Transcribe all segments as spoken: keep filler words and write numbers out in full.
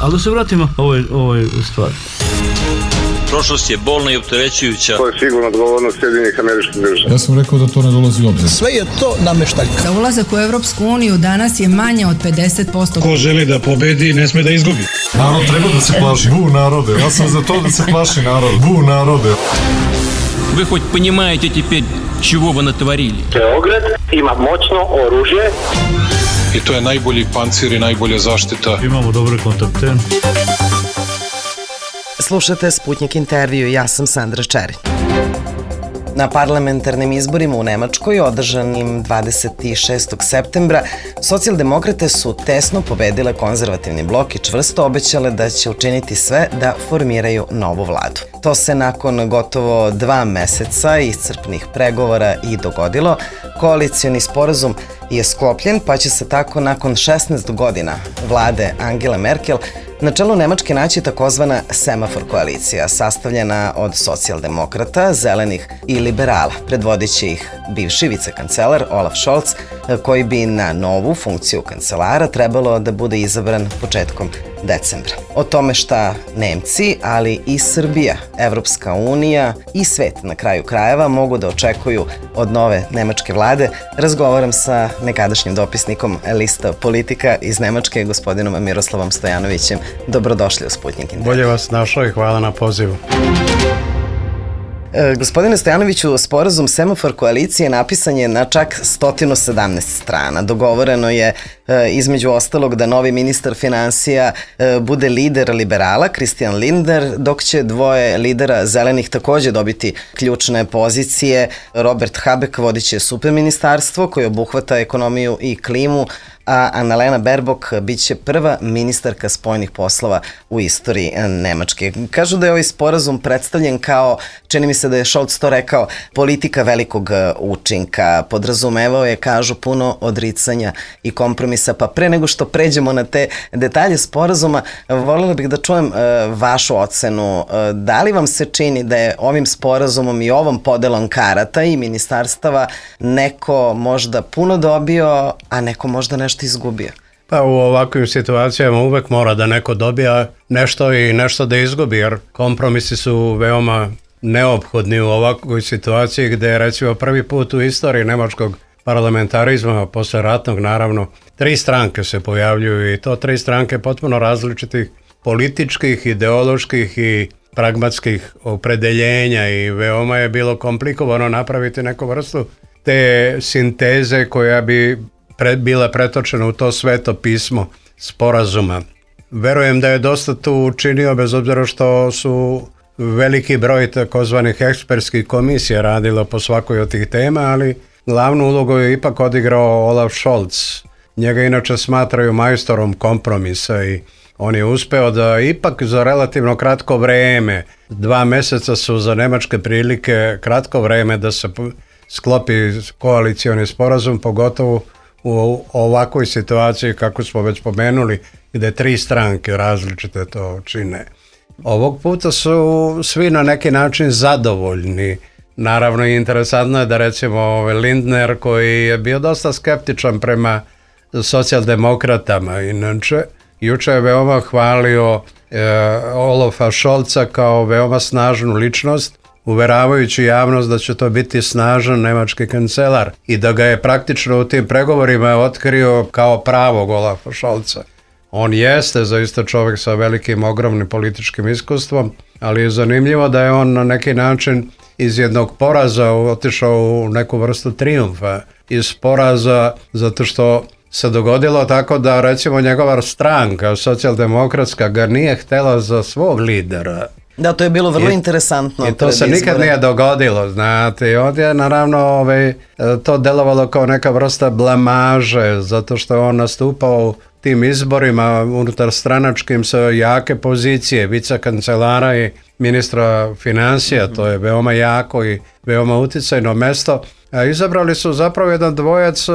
Ali da se vratimo ovoj, ovoj stvari. Prošlost je bolna i opterećujuća. To je sigurno odgovornost Sjedinjenih Američkih Država. Ja sam rekao da to ne dolazi u obzir. Sve je to nameštaljka. Za ulazak u Evropsku uniju danas je manje od pedeset posto. Ko želi da pobedi, ne sme da izgubi. Narod treba da se plaši. Bu narode. Ja sam za to da se plaši narod. Bu narode. Вы хоть понимаете теперь, чего вы натворили? Beograd ima moćno oružje. I to je najbolji pancir i najbolja zaštita. Imamo dobre kontakte. Slušate Sputnjik intervju, ja sam Sandra Čerić. Na parlamentarnim izborima u Nemačkoj, održanim dvadeset šestog septembra, socijaldemokrate su tesno pobedile konzervativni blok i čvrsto obećale da će učiniti sve da formiraju novu vladu. To se nakon gotovo dva meseca iscrpnih pregovora i dogodilo. Koalicioni sporazum je sklopljen, pa će se tako nakon šesnaest godina vlade Angele Merkel na čelu Nemačke naći takozvana semafor koalicija, sastavljena od socijaldemokrata, zelenih i liberala. Predvodit će ih bivši vicekancelar Olaf Scholz, koji bi na novu funkciju kancelara trebalo da bude izabran početkom decembra. O tome šta Nemci, ali i Srbija, Evropska unija i svet na kraju krajeva mogu da očekuju od nove nemačke vlade, razgovaram sa nekadašnjim dopisnikom lista Politika iz Nemačke, gospodinom Miroslavom Stojanovićem. Dobrodošli u Sputnjik intervju. Bolje vas našao i hvala na pozivu. E, gospodine Stojanoviću, sporazum semafor koalicije napisan je na čak sto sedamnaest strana. Dogovoreno je e, između ostalog da novi ministar finansija e, bude lider liberala, Christian Lindner, dok će dvoje lidera zelenih takođe dobiti ključne pozicije. Robert Habeck vodit će superministarstvo koje obuhvata ekonomiju i klimu, a Annalena Baerbock bit će prva ministarka spoljnih poslova u istoriji Nemačke. Kažu da je ovaj sporazum predstavljen kao, čini mi se da je Scholz to rekao, politika velikog učinka. Podrazumevao je, kažu, puno odricanja i kompromisa. Pa pre nego što pređemo na te detalje sporazuma, voljela bih da čujem uh, vašu ocenu. Uh, da li vam se čini da je ovim sporazumom i ovom podelom karata i ministarstava neko možda puno dobio, a neko možda nešto izgubio? Pa u ovakvim situacijama uvek mora da neko dobija nešto i nešto da izgubi, jer kompromisi su veoma neophodni u ovakvoj situaciji gde je recimo prvi put u istoriji nemačkog parlamentarizma, posle ratnog naravno, tri stranke se pojavljuju i to tri stranke potpuno različitih političkih, ideoloških i pragmatskih opredeljenja i veoma je bilo komplikovano napraviti neku vrstu te sinteze koja bi pre, bila pretočena u to sveto pismo sporazuma. Verujem da je dosta tu učinio, bez obzira što su veliki broj takozvanih ekspertskih komisija radilo po svakoj od tih tema, ali glavnu ulogu je ipak odigrao Olaf Scholz. Njega inače smatraju majstorom kompromisa i on je uspeo da ipak za relativno kratko vreme, dva meseca su za nemačke prilike kratko vreme da se sklopi koalicioni sporazum, pogotovo u ovakvoj situaciji kako smo već pomenuli, gde tri stranke različite to čine. Ovog puta su svi na neki način zadovoljni. Naravno i interesantno je da recimo Lindner, koji je bio dosta skeptičan prema socijaldemokratama, inače juče je veoma hvalio e, Olafa Scholza kao veoma snažnu ličnost, uveravajući javnost da će to biti snažan nemački kancelar i da ga je praktično u tim pregovorima otkrio kao pravog Olafa Scholza. On jeste zaista čovjek sa velikim, ogromnim političkim iskustvom, ali je zanimljivo da je on na neki način iz jednog poraza otišao u neku vrstu trijumfa. Iz poraza zato što se dogodilo tako da recimo njegova stranka, socijaldemokratska, ga nije htela za svog lidera. Da, to je bilo vrlo I, interesantno. I to se nikad izbore. nije dogodilo, znate. I ovdje je naravno ovaj, to delovalo kao neka vrsta blamaže, zato što je on nastupao tim izborima unutar stranačkim sa jake pozicije, vicekancelara i ministra financija, mm-hmm. to je veoma jako i veoma uticajno mesto. A izabrali su zapravo jedan dvojac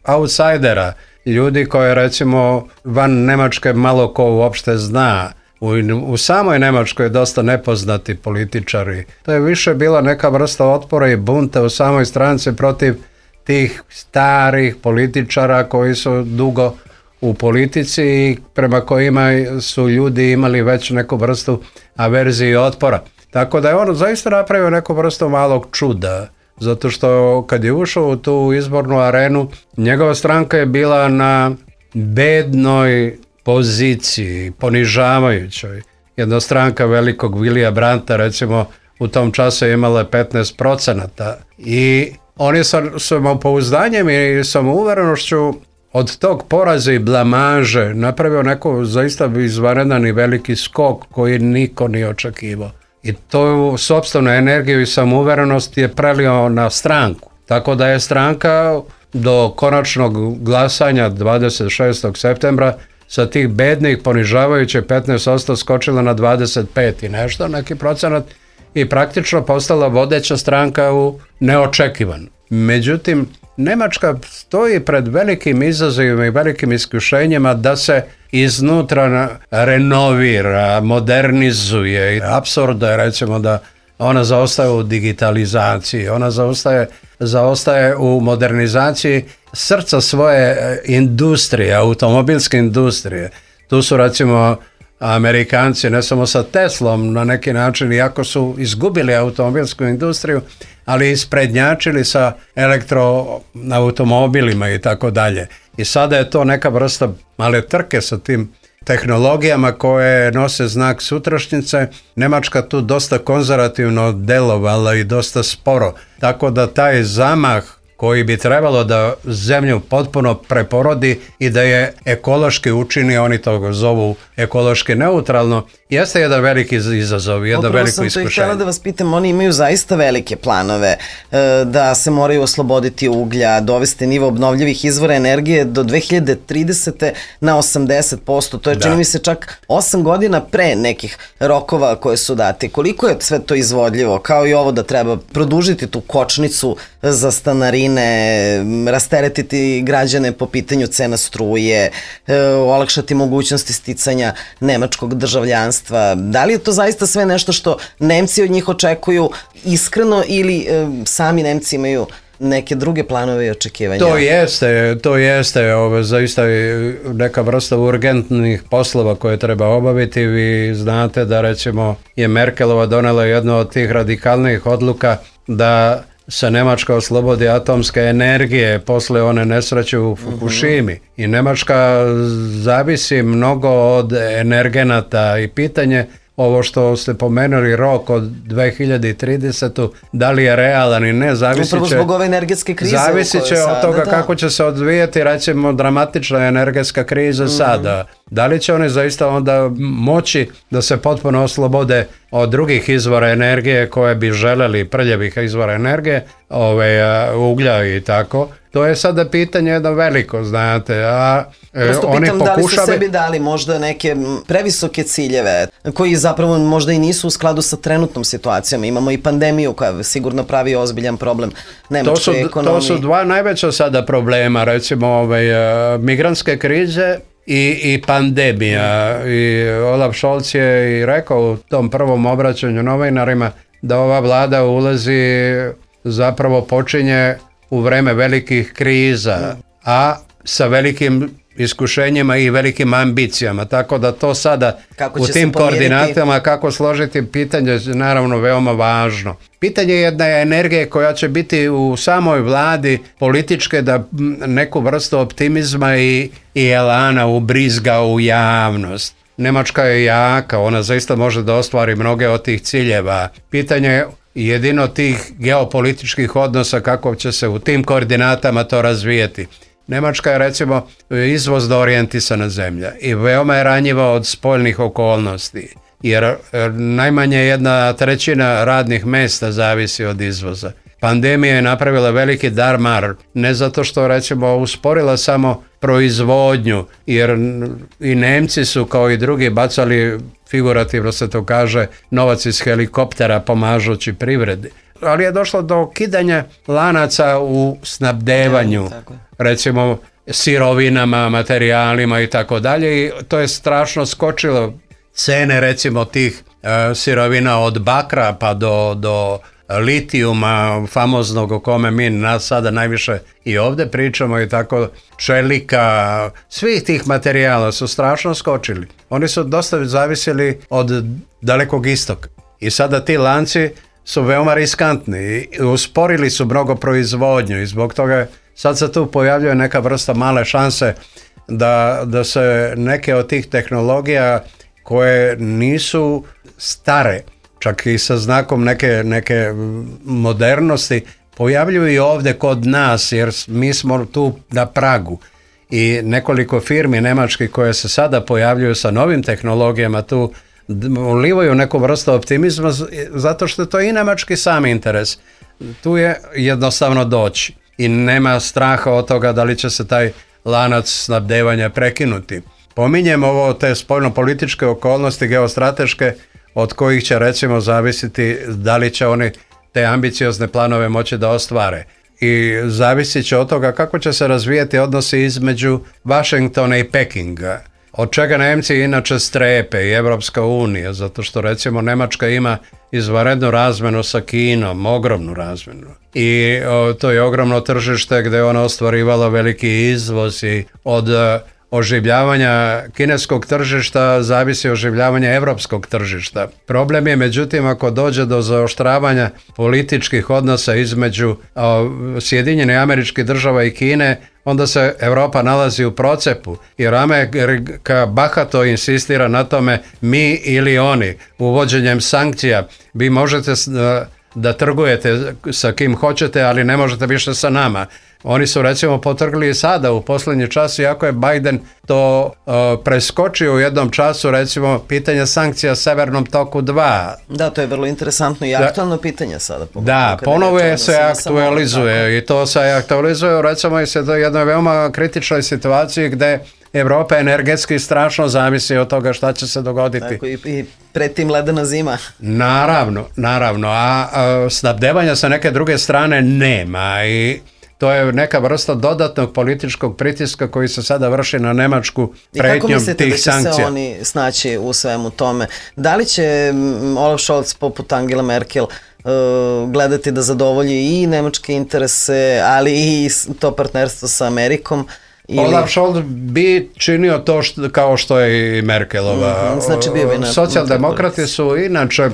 outsidera, ljudi koje recimo van Nemačke malo ko uopšte zna. U, u samoj Nemačkoj je dosta nepoznati političari. To je više bila neka vrsta otpora i bunta u samoj stranci protiv tih starih političara koji su dugo u politici i prema kojima su ljudi imali već neku vrstu averzije i otpora. Tako da je on zaista napravio neku vrstu malog čuda, zato što kad je ušao u tu izbornu arenu, njegova stranka je bila na bednoj poziciji, ponižavajućoj. Jedna stranka velikog Willya Brandta, recimo, u tom času je imala petnaest procenata i on je sa samopouzdanjem i samouverenošću od tog poraza i blamaže napravio neko zaista izvanredan i veliki skok koji niko nije očekivao. I to sopstvenu energiju i samouverenost je prelio na stranku. Tako da je stranka do konačnog glasanja dvadeset šestog septembra sa tih bednih ponižavajućih petnaest posto skočila na dvadeset pet i nešto, neki procenat, i praktično postala vodeća stranka u neočekivan. Međutim, Nemačka stoji pred velikim izazovima i velikim iskušenjima da se iznutra renovira, modernizuje. Apsurdo je, recimo, da ona zaostaje u digitalizaciji, ona zaostaje, zaostaje u modernizaciji srca svoje industrije, automobilske industrije. Tu su, recimo, Amerikanci ne samo sa Teslom na neki način, iako su izgubili automobilsku industriju, ali isprednjačili sa elektroautomobilima i tako dalje. I sada je to neka vrsta male trke sa tim tehnologijama koje nose znak sutrašnjice. Nemačka tu dosta konzervativno delovala i dosta sporo. Tako da taj zamah koji bi trebalo da zemlju potpuno preporodi i da je ekološki učini, oni to zovu ekološki neutralno, jeste jedan veliki izazov, jedno veliko iskušenje. Upravo sam to i htjela da vas pitam, oni imaju zaista velike planove da se moraju osloboditi uglja, dovesti nivo obnovljivih izvora energije do dve hiljade tridesete na osamdeset posto. To je, čini mi se, čak osam godina pre nekih rokova koje su dati. Koliko je sve to izvodljivo? Kao i ovo da treba produžiti tu kočnicu za stanarine, rasteretiti građane po pitanju cena struje, olakšati mogućnosti sticanja nemačkog državljanstva. Da li je to zaista sve nešto što Nemci od njih očekuju iskreno ili e, sami Nemci imaju neke druge planove i očekivanja? To jeste, to jeste ove, zaista neka vrsta urgentnih poslova koje treba obaviti. Vi znate da, recimo, je Merkelova donela jednu od tih radikalnih odluka da se Nemačka oslobodi atomske energije posle one nesreće u Fukushimi. Uh-huh. I Nemačka zavisi mnogo od energenata i pitanje ovo što ste pomenuli rok od dve hiljade tridesete. Da li je realan i ne, zavisit će... Upravo zbog ove energetske krize. Zavisit će sada, od toga da. kako će se odvijeti, recimo, dramatična energetska kriza mm. sada. Da li će oni zaista onda moći da se potpuno oslobode od drugih izvora energije koje bi želeli, prljavih izvora energije, ove, uglja i tako. To je sada pitanje jedno veliko, znate, a Prosto oni pitam pokušali... da li su sebi dali možda neke previsoke ciljeve koji zapravo možda i nisu u skladu sa trenutnom situacijom. Imamo i pandemiju koja sigurno pravi ozbiljan problem nemačkoj ekonomiji. To su dva najveća sada problema, recimo ovaj, migrantske krize i, i pandemija. I Olaf Scholz je i rekao u tom prvom obraćanju novinarima da ova vlada ulazi, zapravo počinje u vreme velikih kriza, a sa velikim iskušenjima i velikim ambicijama, tako da to sada u tim koordinatama kako složiti pitanje je naravno veoma važno. Pitanje je jedna energije koja će biti u samoj vladi političke da neku vrstu optimizma i, i elana ubrizga u javnost. Nemačka je jaka, ona zaista može da ostvari mnoge od tih ciljeva. Pitanje je jedino tih geopolitičkih odnosa kako će se u tim koordinatama to razvijeti. Nemačka je, recimo, izvozno orijentisana zemlja i veoma je ranjiva od spoljnih okolnosti, jer najmanje jedna trećina radnih mjesta zavisi od izvoza. Pandemija je napravila veliki darmar, ne zato što, recimo, usporila samo proizvodnju, jer i Nemci su kao i drugi bacali, figurativno se to kaže, novac iz helikoptera pomažući privredi. Ali je došlo do ukidanja lanaca u snabdevanju, recimo sirovinama, materijalima i tako dalje, i to je strašno skočilo. Cene, recimo, tih e, sirovina od bakra pa do, do litijuma famoznog o kome mi nas sada najviše i ovdje pričamo i tako, čelika, svih tih materijala su strašno skočili. Oni su dosta zavisili od Dalekog istoka i sada ti lanci su veoma riskantni i usporili su mnogo proizvodnju i zbog toga sad se tu pojavljuje neka vrsta male šanse da, da se neke od tih tehnologija koje nisu stare, čak i sa znakom neke, neke modernosti, pojavljuju i ovdje kod nas, jer mi smo tu na pragu. I nekoliko firmi nemačkih koje se sada pojavljuju sa novim tehnologijama tu ulivaju neku vrstu optimizma, zato što to je i nemački sam interes. Tu je jednostavno doći i nema straha od toga da li će se taj lanac snabdevanja prekinuti. Pominjem ovo te spoljno-političke okolnosti, geostrateške, od kojih će recimo zavisiti da li će oni te ambiciozne planove moći da ostvare. I zavisit će od toga kako će se razvijati odnosi između Vašingtona i Pekinga, od čega Nemci inače strepe i Evropska unija, zato što recimo Nemačka ima izvanrednu razmenu sa Kinom, ogromnu razmenu. I o, to je ogromno tržište gdje je ona ostvarivala veliki izvoz i od oživljavanja kineskog tržišta zavisi oživljavanje evropskog tržišta. Problem je međutim ako dođe do zaoštravanja političkih odnosa između o, Sjedinjenih Američkih Država i Kine, onda se Europa nalazi u procepu, jer Amerika bahato insistira na tome mi ili oni. Uvođenjem sankcija vi možete da trgujete sa kim hoćete, ali ne možete više sa nama. Oni su recimo potrgli i sada u posljednji čas, iako je Biden to uh, preskočio u jednom času, recimo pitanje sankcija Severnom toku dva. Da, to je vrlo interesantno i aktualno da, pitanje sada. Da, ponovo je se aktualizuje i to se aktualizuje recimo i se do jednoj veoma kritičnoj situaciji gde Evropa energetski strašno zavisi od toga šta će se dogoditi. Tako, i, i pred tim ledena zima. Naravno, naravno, a, a snabdevanja sa neke druge strane nema i to je neka vrsta dodatnog političkog pritiska koji se sada vrši na Nemačku pretnjom tih sankcija. I kako mislite da će se oni snaći u svemu tome? Da li će Olaf Scholz poput Angela Merkel uh, gledati da zadovolji i nemačke interese, ali i to partnerstvo sa Amerikom? Ili... Olaf Scholz bi činio to što, kao što je i Merkelova. Mm-hmm, znači bio bi na... Socijaldemokrati su inače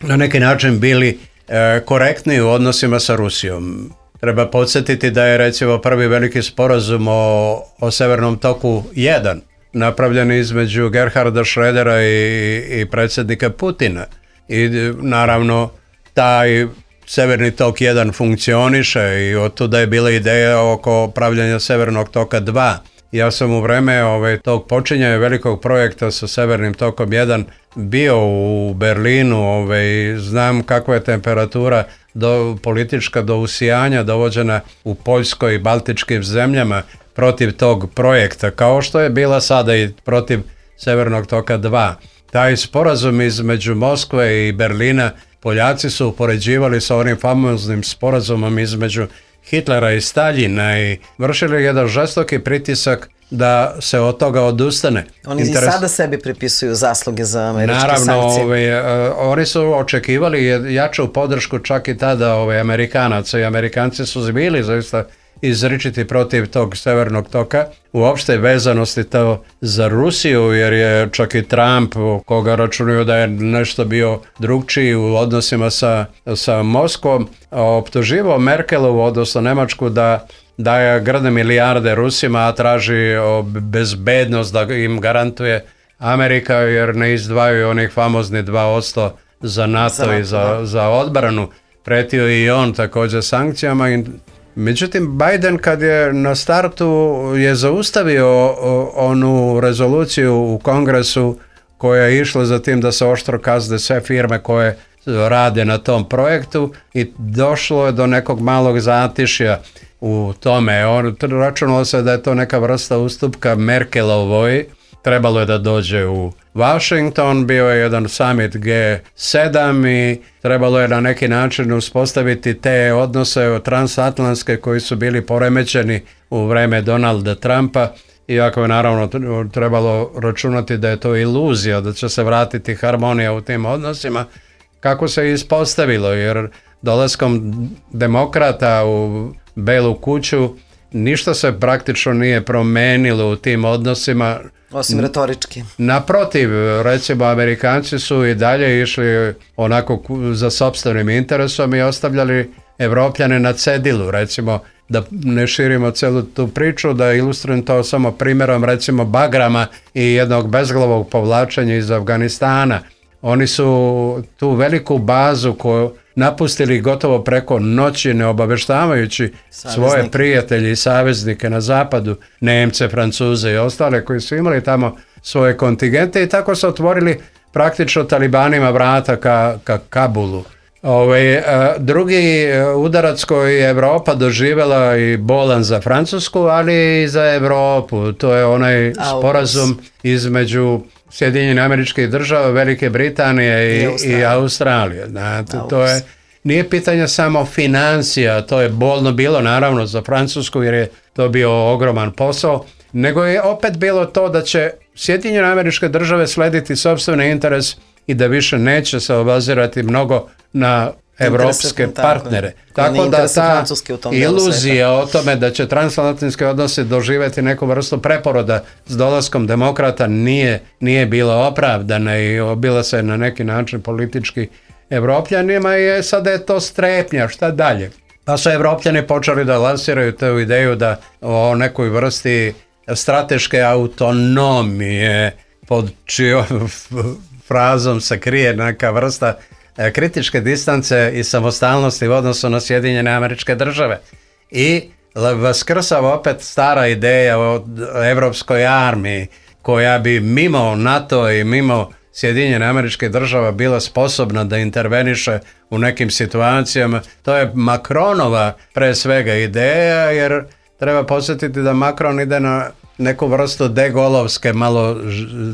na neki način bili e, korektni u odnosima sa Rusijom. Treba podsjetiti da je recimo prvi veliki sporazum o, o Severnom toku jedan napravljen između Gerharda Schrödera i, i predsjednika Putina. I naravno taj Severni tok jedan funkcioniše i od tuda je bila ideja oko pravljanja Severnog toka dva. Ja sam u vreme ovaj, tog počinjanja velikog projekta sa Severnim tokom jedan bio u Berlinu, ovaj, znam kakva je temperatura do, politička do usijanja dovođena u Poljskoj i Baltičkim zemljama protiv tog projekta, kao što je bila sada i protiv Severnog toka dva. Taj sporazum između Moskve i Berlina Poljaci su upoređivali sa onim famoznim sporazumom između Hitlera i Staljina i vršili jedan žestoki pritisak da se od toga odustane. Oni Interes... i sada sebi pripisuju zasluge za američke Naravno, sankcije. Naravno, oni su očekivali jaču podršku čak i tada ove, Amerikanaca i Amerikanci su bili zaista izričiti protiv tog Severnog toka, uopšte vezanosti to za Rusiju, jer je čak i Trump, koga računaju da je nešto bio drugčiji u odnosima sa, sa Moskvom, optuživao Merkelovu, odnosno Nemačku, da daje grde milijarde Rusima, a traži bezbednost da im garantuje Amerika, jer ne izdvajaju onih famozni dva posto za NATO za, i za, za odbranu. Pretio i on također sankcijama i međutim, Biden kad je na startu je zaustavio onu rezoluciju u Kongresu koja je išla za tim da se oštro kazne sve firme koje rade na tom projektu i došlo je do nekog malog zatišja u tome. On, računalo se da je to neka vrsta ustupka Merkelovoj, trebalo je da dođe u Washington, bio je jedan summit G sedam i trebalo je na neki način uspostaviti te odnose transatlantske koji su bili poremećeni u vreme Donalda Trumpa, iako je naravno trebalo računati da je to iluzija, da će se vratiti harmonija u tim odnosima, kako se ispostavilo, jer dolaskom demokrata u Belu kuću ništa se praktično nije promenilo u tim odnosima. Osim retorički. Naprotiv, recimo Amerikanci su i dalje išli onako za sopstvenim interesom i ostavljali Evropljane na cedilu, recimo, da ne širimo celu tu priču, da ilustrujem to samo primjerom recimo Bagrama i jednog bezglavog povlačenja iz Afganistana. Oni su tu veliku bazu koju napustili gotovo preko noći, ne obaveštavajući Saveznik. svoje prijatelje i saveznike na zapadu, Nemce, Francuze i ostale koji su imali tamo svoje kontingente i tako su otvorili praktično talibanima vrata ka, ka Kabulu. Ove, drugi udarac koji je Evropa doživjela i bolan za Francusku, ali i za Evropu, to je onaj sporazum između Sjedinjenih Američkih Država, Velike Britanije i, I, Australije. i Australije. Znate, to je, nije pitanje samo financija, to je bolno bilo naravno za Francusku jer je to bio ogroman posao, nego je opet bilo to da će Sjedinjene Američke Države slediti sopstveni interes i da više neće se obazirati mnogo na evropske partnere. Tako, tako da ta iluzija o tome da će transatlantski odnosi doživjeti neku vrstu preporoda s dolaskom demokrata nije, nije bila opravdana i bila se na neki način politički Evropljanima i sada je to strepnja, šta dalje? Pa su Evropljani počeli da lansiraju tu ideju da o nekoj vrsti strateške autonomije pod čijom frazom se krije neka vrsta kritičke distance i samostalnosti u odnosu na Sjedinjene Američke Države. I vaskrsava opet stara ideja o evropskoj armiji koja bi mimo NATO i mimo Sjedinjene Američke Država bila sposobna da interveniše u nekim situacijama. To je Macronova pre svega ideja, jer treba podsjetiti da Macron ide na neku vrstu degolovske malo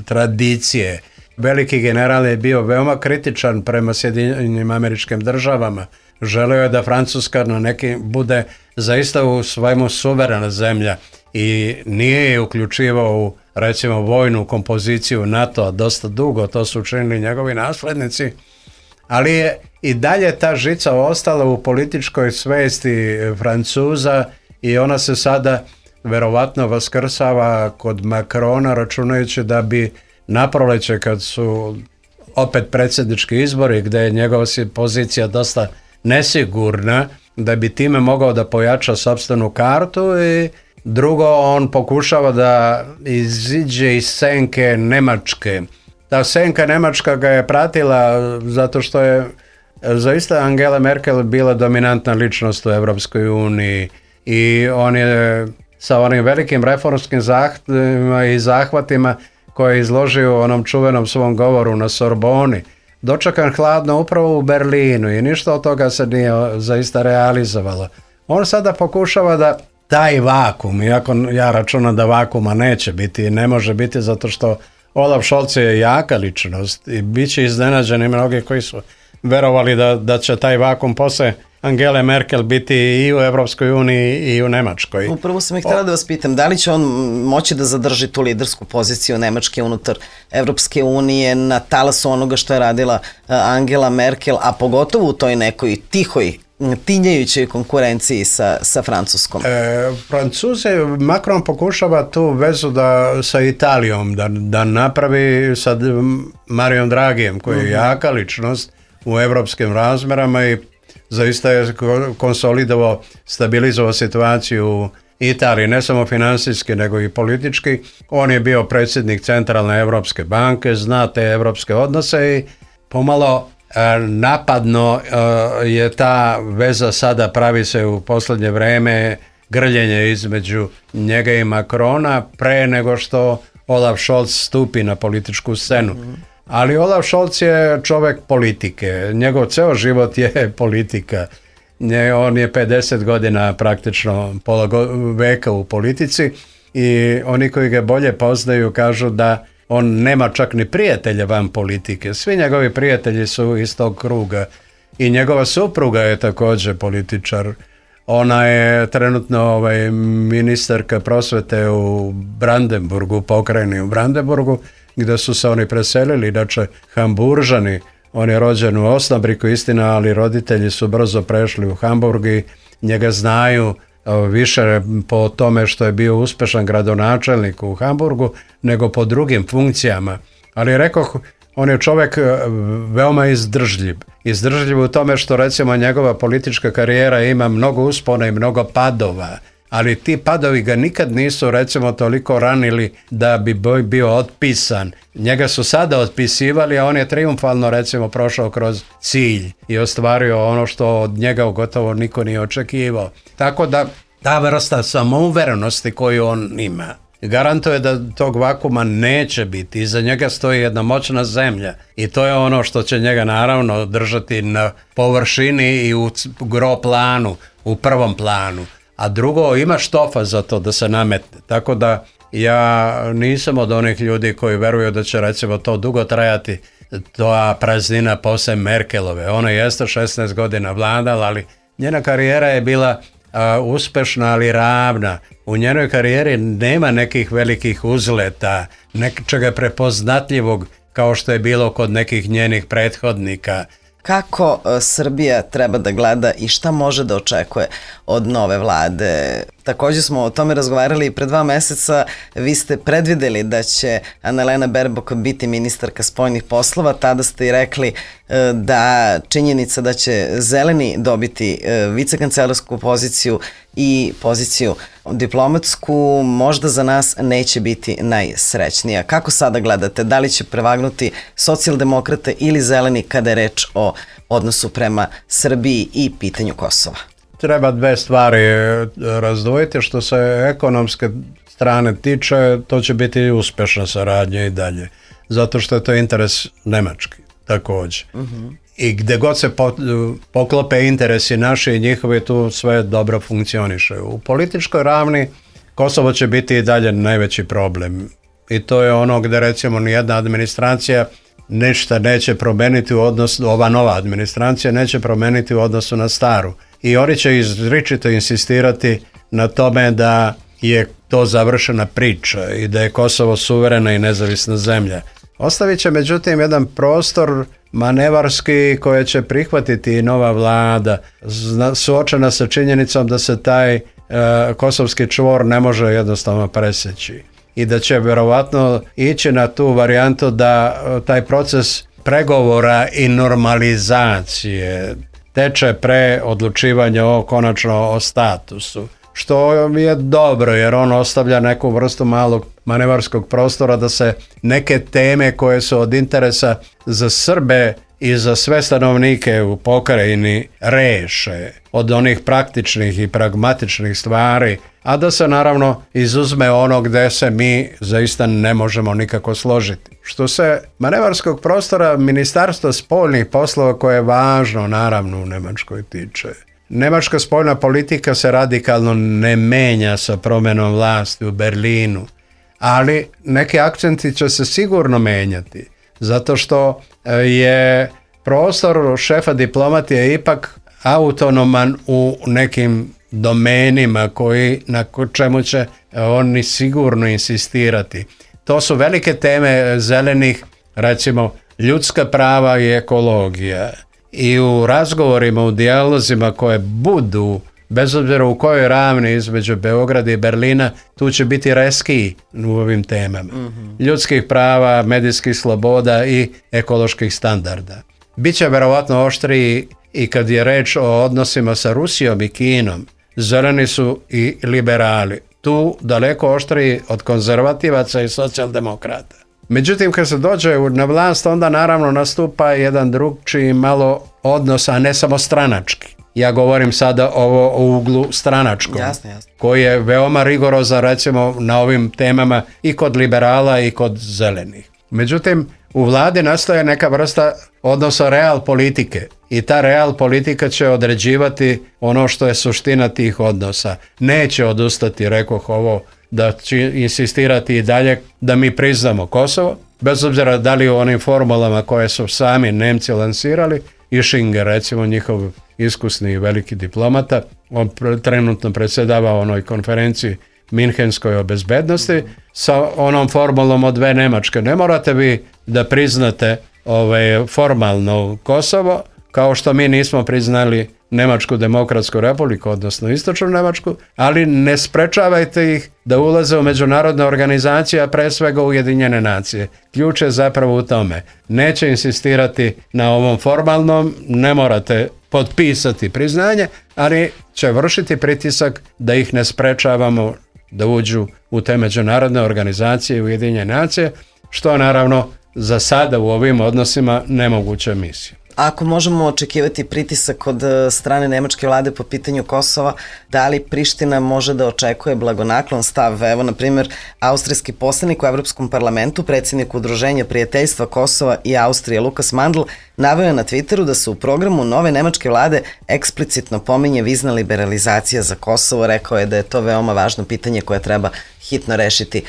tradicije. Veliki general je bio veoma kritičan prema Sjedinjenim Američkim Državama. Želeo je da Francuska na neki bude zaista u svojemu suverena zemlja i nije je uključivao u recimo vojnu kompoziciju NATO-a dosta dugo, to su učinili njegovi naslednici, ali je i dalje ta žica ostala u političkoj svesti Francuza i ona se sada verovatno vaskrsava kod Macrona računajući da bi na proleće kad su opet predsjednički izbori gdje je njegova pozicija dosta nesigurna, da bi time mogao da pojača sopstvenu kartu i drugo on pokušava da iziđe iz senke Njemačke. Ta senka Njemačka ga je pratila zato što je zaista Angela Merkel bila dominantna ličnost u Europskoj uniji i on je sa onim velikim reformskim zahtjevima i zahvatima koje je izložio u onom čuvenom svom govoru na Sorboni, dočekan hladno upravo u Berlinu i ništa od toga se nije zaista realizovalo. On sada pokušava da taj vakum, iako ja računam da vakuma neće biti i ne može biti zato što Olaf Scholz je jaka ličnost i bit će iznenađeni mnogi koji su verovali da, da će taj vakum posle Angele Merkel biti i u Evropskoj uniji i u Nemačkoj. Upravo sam ih htjela da vas pitam, da li će on moći da zadrži tu lidersku poziciju Nemačke unutar Evropske unije na talasu onoga što je radila Angela Merkel, a pogotovo u toj nekoj tihoj, tinjajućoj konkurenciji sa, sa Francuskom? E, Francuze, Macron pokušava tu vezu da, sa Italijom da, da napravi sa Marijom Dragijem, koji je jaka ličnost u evropskim razmerama i zaista je konsolidovao, stabilizovao situaciju u Italiji, ne samo financijski, nego i politički. On je bio predsjednik Centralne Evropske banke, zna te evropske odnose i pomalo e, napadno e, je ta veza sada, pravi se u posljednje vreme grljenje između njega i Macrona pre nego što Olaf Scholz stupi na političku scenu. Mm-hmm. Ali Olaf Scholz je čovjek politike, njegov ceo život je politika. On je pedeset godina praktično pola veka u politici i oni koji ga bolje poznaju kažu da on nema čak ni prijatelja van politike. Svi njegovi prijatelji su iz tog kruga i njegova supruga je također političar. Ona je trenutno ovaj, ministarka prosvete u Brandenburgu, pokrajini u Brandenburgu, gdje su se oni preselili, da će Hamburžani On je rođen u Osnabriku, istina, ali roditelji su brzo prešli u Hamburg i njega znaju više po tome što je bio uspešan gradonačelnik u Hamburgu nego po drugim funkcijama. Ali rekoh, on je čovjek veoma izdržljiv. Izdržljiv u tome što recimo njegova politička karijera ima mnogo uspona i mnogo padova. Ali ti padovi ga nikad nisu recimo toliko ranili da bi bio otpisan. Njega su sada otpisivali, a on je triumfalno recimo prošao kroz cilj i ostvario ono što od njega gotovo niko nije očekivao. Tako da ta vrsta samouverenosti koju on ima garantuje da tog vakuma neće biti. Iza njega stoji jedna moćna zemlja i to je ono što će njega naravno držati na površini i u gro planu, u prvom planu. A drugo, ima štofa za to da se nametne. Tako da ja nisam od onih ljudi koji veruju da će recimo to dugo trajati, ta praznina posle Merkelove. Ona jeste šesnaest godina vladala, ali njena karijera je bila a, uspešna, ali ravna. U njenoj karijeri nema nekih velikih uzleta, nečega prepoznatljivog kao što je bilo kod nekih njenih prethodnika. Kako Srbija treba da gleda i šta može da očekuje od nove vlade? Također smo o tome razgovarali i pre dva meseca. Vi ste predvideli da će Annalena Baerbock biti ministarka spoljnih poslova. Tada ste i rekli da činjenica da će Zeleni dobiti vicekancelarsku poziciju i poziciju diplomatsku možda za nas neće biti najsrećnija. Kako sada gledate? Da li će prevagnuti socijaldemokrate ili Zeleni kada je reč o odnosu prema Srbiji i pitanju Kosova? Treba dve stvari razdvojiti. Što se ekonomske strane tiče, to će biti uspešna saradnja i dalje. Zato što je to interes Nemački također. Uh-huh. I gde god se po, poklope interesi naši i njihovi, tu sve dobro funkcioniše. U političkoj ravni Kosovo će biti i dalje najveći problem. I to je ono gde recimo nijedna administracija ništa neće promeniti u odnosu, ova nova administracija neće promeniti u odnosu na staru. I oni će izričito insistirati na tome da je to završena priča i da je Kosovo suverena i nezavisna zemlja. Ostavit će međutim jedan prostor manevarski koje će prihvatiti i nova vlada, suočena sa činjenicom da se taj e, kosovski čvor ne može jednostavno preseći i da će vjerovatno ići na tu varijantu da taj proces pregovora i normalizacije teče pre odlučivanja o konačno o statusu, što je dobro jer on ostavlja neku vrstu malog manevarskog prostora da se neke teme koje su od interesa za Srbe i za sve stanovnike u pokrajini reše od onih praktičnih i pragmatičnih stvari, a da se naravno izuzme ono gde se mi zaista ne možemo nikako složiti. Što se manevarskog prostora Ministarstva spoljnih poslova, koje je važno naravno u Nemačkoj tiče, nemačka spoljna politika se radikalno ne menja sa promjenom vlasti u Berlinu, ali neki akcenti će se sigurno menjati, zato što je prostor šefa diplomatije ipak autonoman u nekim domenima koji, na čemu će oni sigurno insistirati. To su velike teme zelenih, recimo ljudska prava i ekologija. I u razgovorima, u dijalozima koje budu, bez obzira u kojoj ravni između Beograda i Berlina, tu će biti reskiji u ovim temama. Mm-hmm. Ljudskih prava, medijskih sloboda i ekoloških standarda. Biće verovatno oštriji i kad je reč o odnosima sa Rusijom i Kinom. Zeleni su i liberali. Tu daleko oštriji od konzervativaca i socijaldemokrata. Međutim, kad se dođe na vlast, onda naravno nastupa jedan drugčiji malo odnos, a ne samo stranački. Ja govorim sada ovo o uglu stranačkom, jasne, jasne. koji je veoma rigorozan recimo na ovim temama i kod liberala i kod zelenih. Međutim, u vladi nastaje neka vrsta odnosa real politike i ta real politika će određivati ono što je suština tih odnosa. Neće odustati, rekoh ovo, da će insistirati i dalje da mi priznamo Kosovo, bez obzira da li u onim formulama koje su sami Nemci lansirali, Ischinger, recimo njihov iskusni i veliki diplomata, on trenutno predsjedava onoj konferenciji Minhenskoj o bezbednosti sa onom formulom od dve Nemačke. Ne morate vi da priznate ovaj, formalno Kosovo, kao što mi nismo priznali Nemačku demokratsku republiku, odnosno Istočnu Nemačku, ali ne sprečavajte ih da ulaze u međunarodne organizacije, a pre svega Ujedinjene nacije. Ključ je zapravo u tome. Neće insistirati na ovom formalnom, ne morate potpisati priznanje, ali će vršiti pritisak da ih ne sprečavamo da uđu u te međunarodne organizacije Ujedinjene nacije, što naravno za sada u ovim odnosima nemoguća misija. Ako možemo očekivati pritisak od strane nemačke vlade po pitanju Kosova, da li Priština može da očekuje blagonaklon stav? Evo, na primjer, austrijski poslanik u Evropskom parlamentu, predsjednik Udruženja prijateljstva Kosova i Austrije Lukas Mandl, naveo je na Twitteru da se u programu nove nemačke vlade eksplicitno pominje vizna liberalizacija za Kosovo. Rekao je da je to veoma važno pitanje koje treba hitno rešiti.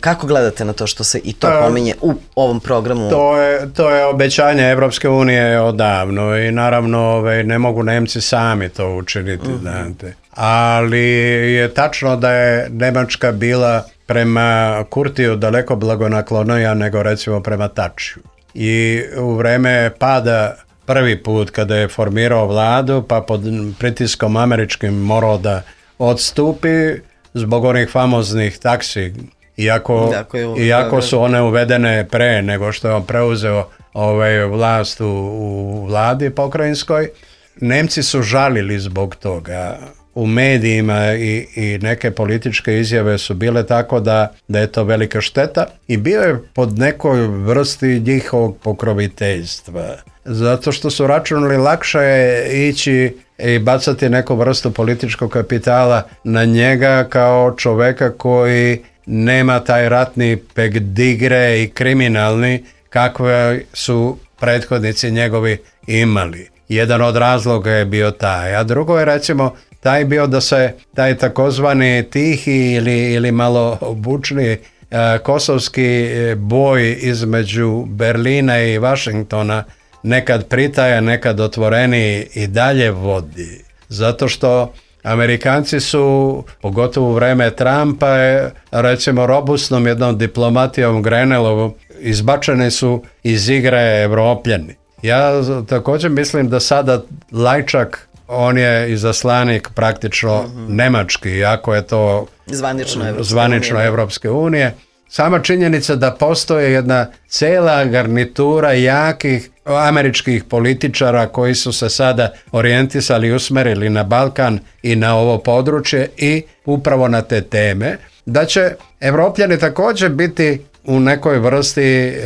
Kako gledate na to što se i to pominje u ovom programu? To je, to je obećanje Evropske unije odavno i naravno ovaj, ne mogu Nemci sami to učiniti. Mm-hmm. Znate. Ali je tačno da je Nemačka bila prema Kurtiju daleko blagonaklonija nego recimo prema Tačiju. I u vreme pada prvi put kada je formirao vladu, pa pod pritiskom američkim morao da odstupi zbog onih famoznih taksi, iako, dakle, iako su one uvedene pre nego što je on preuzeo ovaj, vlast u, u vladi pokrajinskoj. Nemci su žalili zbog toga. U medijima i, i neke političke izjave su bile tako da, da je to velika šteta i bio je pod nekoj vrsti njihovog pokroviteljstva. Zato što su računali lakše je ići i bacati neku vrstu političkog kapitala na njega kao čoveka koji nema taj ratni pegdigre i kriminalni kakve su prethodnici njegovi imali. Jedan od razloga je bio taj, a drugo je recimo taj bio da se taj takozvani tihi ili, ili malo bučni uh, kosovski boj između Berlina i Vašingtona nekad pritaja, nekad otvoreni i dalje vodi. Zato što Amerikanci su, pogotovo u vreme Trumpa, recimo robustnom jednom diplomatijom Grenelovom, izbačeni su iz igre Evropljani. Ja također mislim da sada Lajčak, on je izaslanik praktično mm-hmm. nemački, iako je to zvanično Evropske, zvanično unije. Evropske unije. Sama činjenica da postoje jedna cela garnitura jakih američkih političara koji su se sada orijentisali i usmerili na Balkan i na ovo područje i upravo na te teme, da će Evropljani također biti u nekoj vrsti e,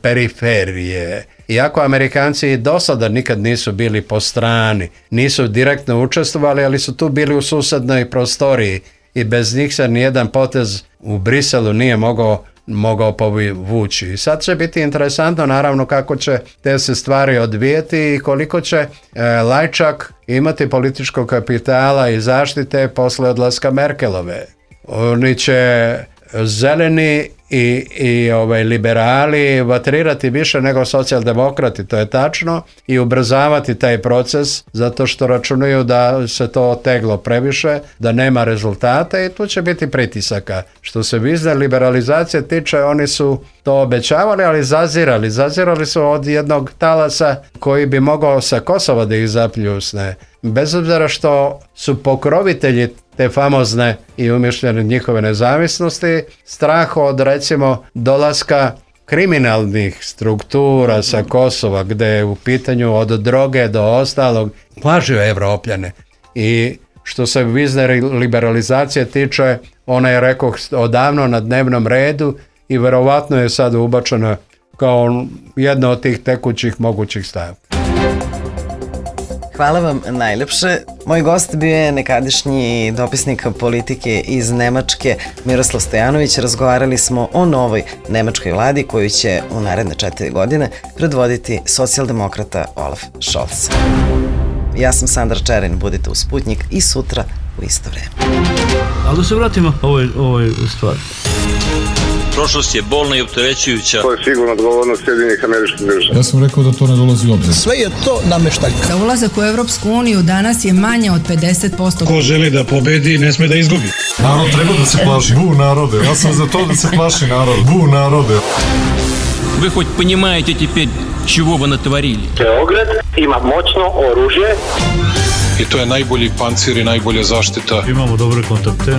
periferije. Iako Amerikanci do sada nikad nisu bili po strani, nisu direktno učestvovali, ali su tu bili u susednoj prostoriji i bez njih se nijedan potez u Briselu nije mogao, mogao povući. I sad će biti interesantno naravno kako će te se stvari odvijeti i koliko će e, Lajčak imati političkog kapitala i zaštite posle odlaska Merkelove. Oni će zeleni i, i ovaj, liberali vatrirati više nego socijaldemokrati, to je tačno, i ubrzavati taj proces zato što računaju da se to oteglo previše, da nema rezultata i tu će biti pritisaka. Što se vizne liberalizacije tiče, oni su to obećavali, ali zazirali. Zazirali su od jednog talasa koji bi mogao sa Kosova da ih zapljusne. Bez obzira što su pokrovitelji te famozne i umišljene njihove nezavisnosti, strah od recimo dolaska kriminalnih struktura sa Kosova, gde je u pitanju od droge do ostalog, plažio Evropljane. I što se vizne liberalizacije tiče, ona je, rekao, odavno na dnevnom redu i verovatno je sad ubačena kao jedna od tih tekućih mogućih stavki. Hvala vam najlepše. Moj gost bio je nekadašnji dopisnik politike iz Nemačke Miroslav Stojanović. Razgovarali smo o novoj nemačkoj vladi koju će u naredne četiri godine predvoditi socijaldemokrata Olaf Scholz. Ja sam Sandra Čerin, budite u Sputnjik i sutra u isto vreme. Ali da se vratimo ovoj, ovoj stvari. Prošlost je bolna i opterećujuća. To je sigurno odgovornost Sjedinjenih Američkih Država. Ja sam rekao da to ne dolazi u obzir. Sve je to nameštaljka. Za ulazak u Evropsku uniju danas je manje od pedeset posto. Ko želi da pobedi, ne sme da izgubi. Narod treba da se plaši. Bu narode. Ja sam za to da se plaši narod. Bu narode. Вы хоть понимаете теперь, чего вы натворили. Beograd ima moćno oružje. I to je najbolji pancir i najbolja zaštita. Imamo dobre kontakte.